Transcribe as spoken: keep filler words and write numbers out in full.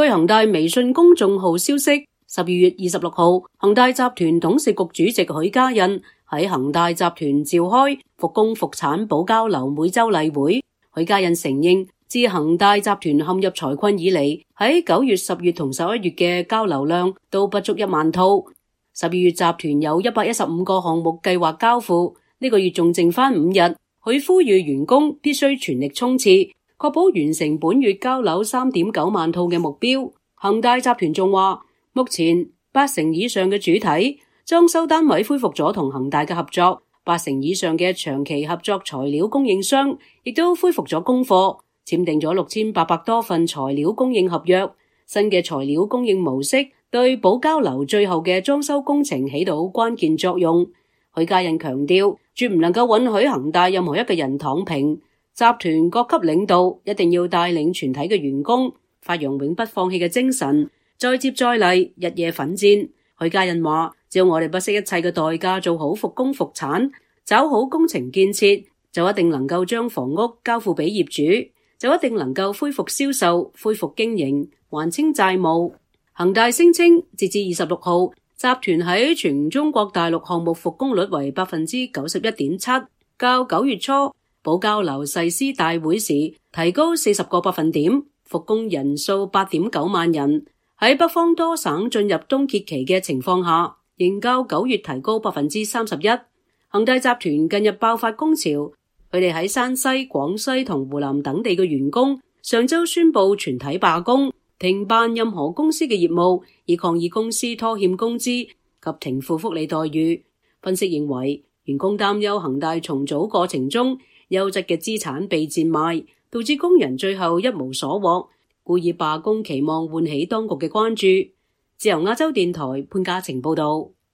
據恒大微信公眾號消息，十二月二十六號，恒大集團董事局主席許家印喺恒大集團召開復工復產保交樓每周例會。許家印承認，自恒大集團陷入財困以嚟，喺九月、十月同十一月嘅交樓量都不足一萬套。十二月集團有一百一十五個項目計劃交付，呢個月仲剩翻五日。佢呼籲員工必須全力衝刺，確保完成本月交樓三點九萬套嘅目標。恒大集團仲話，目前八成以上嘅主體裝修單位恢復咗同恒大嘅合作，八成以上嘅長期合作材料供應商亦都恢復咗供貨，簽訂咗六千八百多份材料供應合約。新嘅材料供應模式對保交樓最後嘅裝修工程起到關鍵作用。許家印強調，絕唔能夠允許恒大任何一個人躺平，集團各級領導一定要帶領全體嘅員工發揚永不放棄嘅精神，再接再厲，日夜奮戰。許家印話，只要我哋不惜一切嘅代價做好復工復產，抓好工程建設，就一定能夠將房屋交付俾業主，就一定能夠恢復銷售、恢復經營、還清債務。恒大聲稱，截至二十六號，集團喺全中國大陸項目復工率為百分之九十一點七，較九月初保交樓誓師大會時提高四十個百分點，復工人數八點九萬人。喺北方多省進入冬歇期嘅情況下，仍較九月提高百分之三十一。恒大集團近日爆發工潮，佢哋喺山西、廣西同湖南等地嘅員工上周宣布全體罷工，停辦任何公司嘅業務，以抗議公司拖欠工資及停付福利待遇。分析認為，員工擔憂恒大重組過程中優質嘅資產被賤賣，導致工人最後一無所獲，故意罷工，期望喚起當局嘅關注。自由亞洲電台潘嘉晴報道。